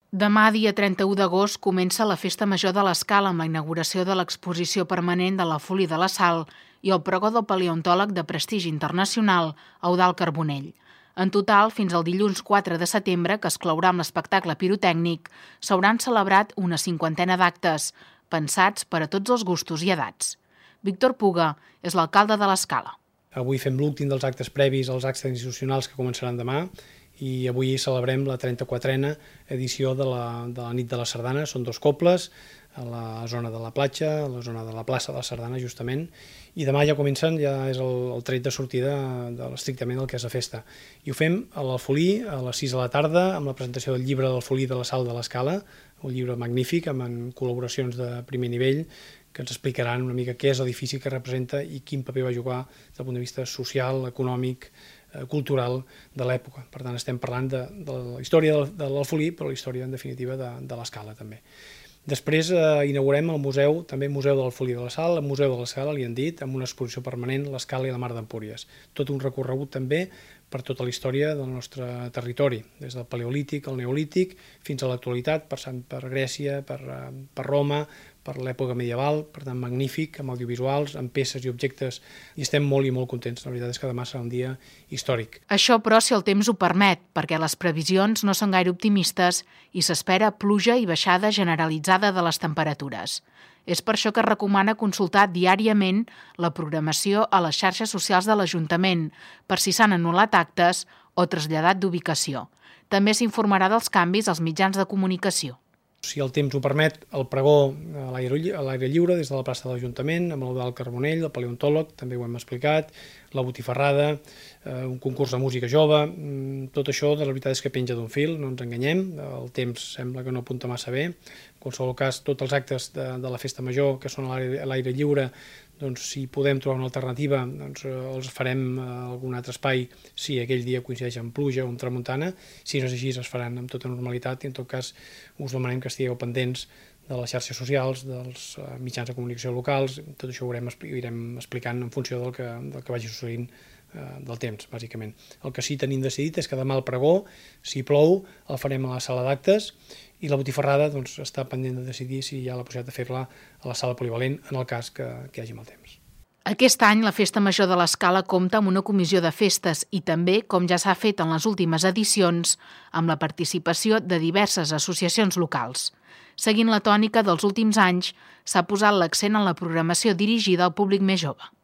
Demà, dia 31 d'agost, comença la Festa Major de l'Escala amb la inauguració de l'exposició permanent de la Folia de la Sal i el pregó del paleontòleg de prestigi internacional, Eudald Carbonell. En total, fins al dilluns 4 de setembre, que es clourà amb l'espectacle pirotècnic, s'hauran celebrat una 50ena d'actes, pensats per a tots els gustos i edats. Víctor Puga és l'alcalde de l'Escala. Avui fem l'últim dels actes previs als actes institucionals que començaran demà i avui celebrem la 34a edició de la nit de la sardana. Són 2 cobles, a la zona de la platja, a la zona de la plaça de la Sardana, justament, i demà ja comencen, ja és el tret de sortida estrictament del que és la festa. I ho fem a l'Alfolí a les 6 de la tarda, amb la presentació del llibre del Folí de la Sal de l'Escala, un llibre magnífic, amb col·laboracions de primer nivell, que ens explicaran una mica què és l'edifici que representa i quin paper va jugar des del punt de vista social, econòmic, cultural de l'època. Per tant, estem parlant de la història de l'Alfolí, però la història, en definitiva, de l'Escala, també. Després inaugurem el museu, també Museu de l'Alfolí de la Sal, el Museu de l'Escala, li han dit, amb una exposició permanent, l'Escala i la Mar d'Empúries. Tot un recorregut també per tota la història del nostre territori, des del Paleolític al Neolític fins a l'actualitat, passant per Grècia, per Roma, per l'època medieval, per tant magnífic, amb audiovisuals, amb peces i objectes, i estem molt i molt contents. La veritat és que demà serà un dia històric. Això, però, si el temps ho permet, perquè les previsions no són gaire optimistes i s'espera pluja i baixada generalitzada de les temperatures. És per això que es recomana consultar diàriament la programació a les xarxes socials de l'Ajuntament, per si s'han anul·lat actes o traslladat d'ubicació. També s'informarà dels canvis als mitjans de comunicació. Si el temps ho permet, el pregó a l'aire lliure des de la plaça de l'Ajuntament, amb l'Eudald Carbonell, el paleontòleg, també ho hem explicat, la botifarrada, un concurs de música jove, tot això de la veritat és que penja d'un fil, no ens enganyem, el temps sembla que no apunta massa bé. En qualsevol cas, tots els actes de la festa major que són a l'aire lliure, doncs, si podem trobar una alternativa, doncs, els farem a algun altre espai si aquell dia coincideix amb pluja o amb tramuntana. Si no és així, es faran amb tota normalitat i en tot cas us demanem que estigueu pendents de les xarxes socials, dels mitjans de comunicació locals. Tot això ho irem explicant en funció del que vagi succeint del temps, bàsicament. El que sí tenim decidit és que demà el pregó, si plou, el farem a la sala d'actes i la botifarrada doncs, està pendent de decidir si hi ha la possibilitat de fer-la a la sala polivalent en el cas que hi hagi mal temps. Aquest any la Festa Major de l'Escala compta amb una comissió de festes i també, com ja s'ha fet en les últimes edicions, amb la participació de diverses associacions locals. Seguint la tònica dels últims anys, s'ha posat l'accent en la programació dirigida al públic més jove.